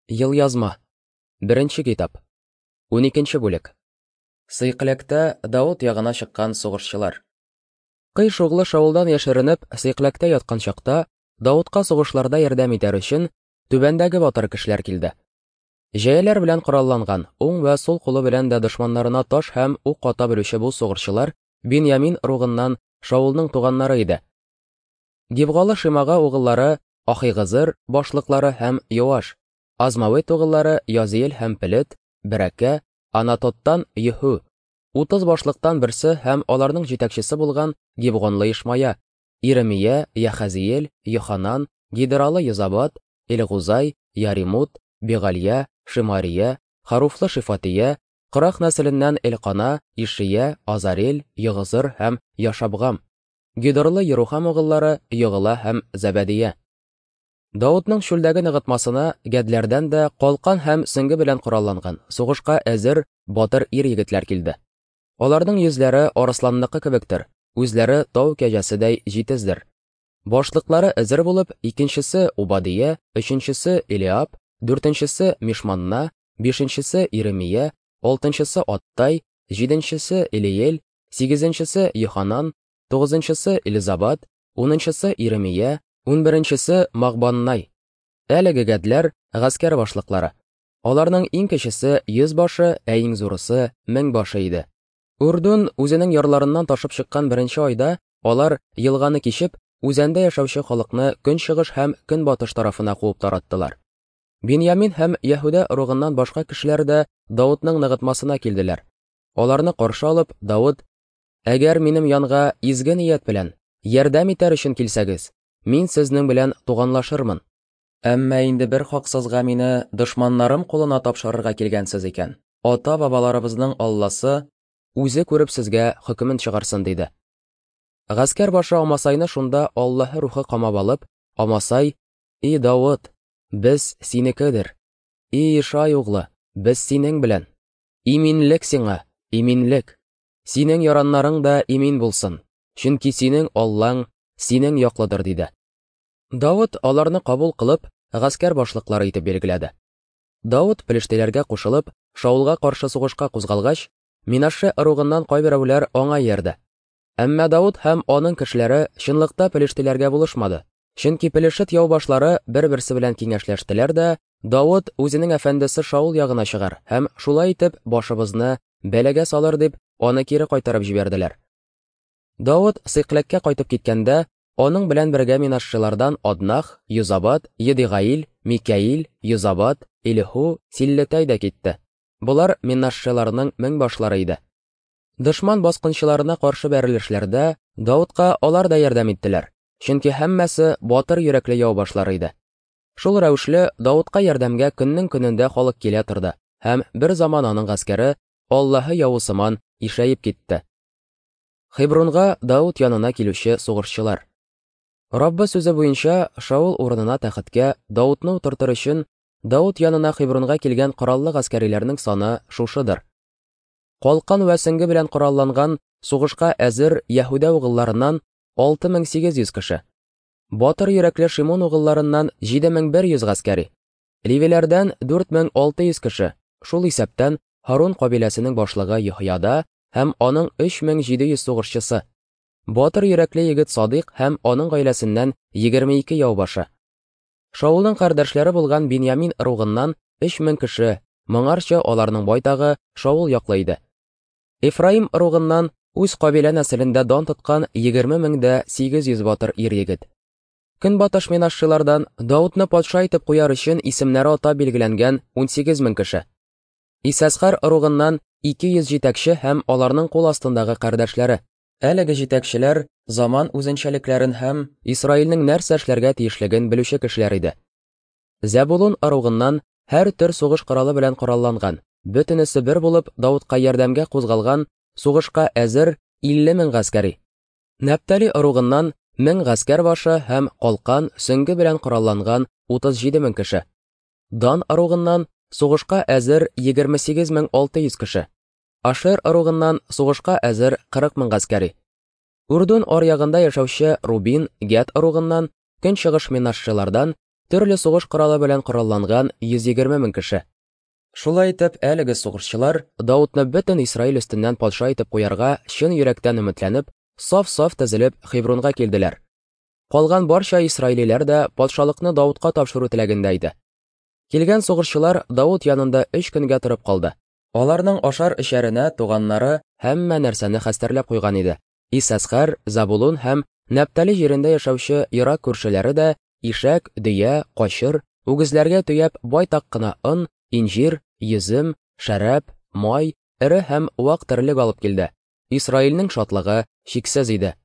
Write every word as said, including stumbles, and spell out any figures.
Елъязма. Беренче китап. Уникенче бүлек. Сыйкләктә Давыт ягына чыккан сугышчылар. Кыйш углы Шаулдан яшеренеп, Сыйкләктә яткан чакта, Давытка сугышларда ярдәм итәр өчен түбәндәге батыр кешеләр килде. Җәяләр белән коралланган, уң вә сул кулы белән дә дошманнарына таш һәм ук ата белүче бу сугышчылар Биньямин ыругыннан Шаулның туганнары иде. Гибгалы Шимага угыллары Ахигызыр башлыклары һәм Йоаш, Азмавет угыллары Язиэл һәм Пелет, Берәкә, Анатоттан Йеху, утыз башлыктан берсе һәм аларның җитәкчесе булган Гибгонлы Ишмая, Иремия, Яхазиэл, Йоханан, Гидералы Йозабат, Элгузай, Яримут, Бегалия, Шимария, Харуфлы Шифатия, Кырах нәселеннән Элкана, Ишия, Азарел, Йогызыр һәм Яшабгам, Гидорлы Ерухам угыллары Йогыла һәм Зәбәдия. Давытның чүлдәге ныгытмасына гәдләрдән дә калкан һәм сөңге белән коралланган, сугышка әзер батыр ир-егетләр килде. Аларның йөзләре арысланныкы кебектер, үзләре тау кәҗәседәй җитездер. Башлыклары әзер булып, икенчесе Убадия, өченчесе Элиаб, дүртенчесе Мишманна, бишенчесе Иремия, алтынчысы Аттай, җиденчесе Элиел, сигезенчесе Йоханан, тугызынчысы Элизабат, унынчысы Иремия, унберенчесе Мағбаннай. Әлеге гәдләр гаскәр башлыклары. Аларның иң кечесе йөз башы, ә иң зурысы мең башы иде. Үрдүн үзенең ярларыннан ташып чыккан беренче айда алар елганы кичеп, үзәндә яшәүче халыкны көнчыгыш һәм көнбатыш тарафына куып тараттылар. Биньямин һәм Яһүдә ыругыннан башка кешеләр дә Давытның ныгытмасына килделәр. Аларны каршы алып, Давыт: "Әгәр минем янга изге ният белән ярдәм итәр өчен килсәгез, мин сезнең белән туганлашырмын. Әмма инде бер хаксызга мине дошманнарым кулына тапшырырга килгәнсез икән, ата-бабаларыбызның Алласы үзе күреп сезгә хөкемен чыгарсын", диде. Гаскәр башы Амасайны шунда Аллаһы рухы камап алып, Амасай: "И Давыт, без синекедер. И Ишай углы, без синең белән. Иминлек сиңа, иминлек. Синең яраннарың да имин булсын, чөнки синең Аллаң синең яклыдыр", диде. Давыт аларны кабул кылып, гаскәр башлыклары итеп билгеләде. Давыт пелештеләргә кушылып, Шаулга каршы сугышка кузгалгач, Минаше ыругыннан кайберәүләр аңа иярде. Әмма Давыт һәм аның кешеләре чынлыкта пелештеләргә булышмады. Чөнки пелешет яубашлары бер-берсе белән киңәшләштеләр дә, Давыт үзенең әфәндесе Шаул ягына чыгар һәм шулай итеп башыбызны бәлагә салыр дип, аны кире кайтарып җибәрделәр. Давыт Сыйкләккә кайтып киткәндә, аның белән бергә минашчылардан Аднах, Йозабат, Едигаил, Микаил, Йозабат, Илиху, Силлетай да китте. Болар минашчыларның мең башлары иде. Дошман баскынчыларына каршы бәрелешләрдә Давытка алар да ярдәм иттеләр, чөнки һәммәсе батыр йөрәкле яубашлары иде. Шул рәвешле Давытка ярдәмгә көннең көнендә халык килә торды һәм бер заман аның гаскәре Аллаһы явы сыман ишәеп китте. Хебронга Давыт янына килүче сугышчылар. Раббы сүзе буенча Шаул урынына тәхеткә Давытны утыртыр өчен Давыт янына Хебронга килгән кораллы гаскәриләрнең саны шушыдыр. Калкан вә сөңге белән коралланган сугышка әзер Яһүдә угылларыннан алты мең сигез йөз кеше. Батыр йөрәкле Шимон угылларыннан җиде мең бер йөз гаскәри. Левиләрдән дүрт мең алты йөз кеше, шул исәптән Һарун кабиләсенең башлыгы Йоһяда һәм аның өч мең җиде йөз сугышчысы. Батыр йөрәкле егет Садыйк һәм аның гаиләсеннән егерме ике яубашы. Шаулның кардәшләре булган Биньямин ыругыннан өч мең кеше, моңарча аларның байтагы Шаул яклы иде. Эфраим ыругыннан үз кабилә нәселендә дан тоткан егерме мең дә сигез йөз батыр ир-егет. Көнбатыш минашчылардан Давытны патша итеп куяр өчен исемнәре атап билгеләнгән унсигез мең кеше. Исәсхар ыругыннан ике йөз җитәкче һәм аларның кул астындагы кардәшләре. Әлеге җитәкчеләр заман үзенчәлекләрен һәм Исраилнең нәрсә эшләргә тиешлеген белүче кешеләр иде. Зәбулун ыругыннан һәр төр сугыш коралы белән коралланган, бөтенесе бер булып Давытка ярдәмгә кузгалган сугышка әзер илле мең гаскәри. Нәптали ыругыннан мең гаскәр башы һәм калкан, сөңге белән коралланган утыз җиде мең кеше. Дан ыругыннан сугышка әзер егерме сигез мең алты йөз кеше. Ашер ыругыннан сугышка әзер кырык мең гаскәри. Үрдүн аръягында яшәүче Рубин, Гәд ыругыннан, көнчыгыш минашчылардан Төрле сугыш коралы белән коралланган йөз егерме мең кеше. Шулай итеп, әлеге сугышчылар Даутны бөтен Исраил өстеннән патша итеп куярга чын йөрәктән өметләнеп, саф-саф тезелеп Хебронга килделәр. Калган барча исраилиләр дә патшалыкны Даутка тапшыру теләгендә иде. Килгән сугышчылар Даут янында өч көнгә торып калды. Аларның ашар-эчәренә туганнары һәммә нәрсәне хәстәрләп куйган иде. Иссәсхәр, Забулун һәм Нәптали җирендә яшәүче ерак күршеләре дә ишәк, дөя, качыр, үгезләргә төяп байтак кына он, инҗир, йөзем, шәраб, май, эре һәм вак терлек алып килде. Исраилнең шатлыгы чиксез иде.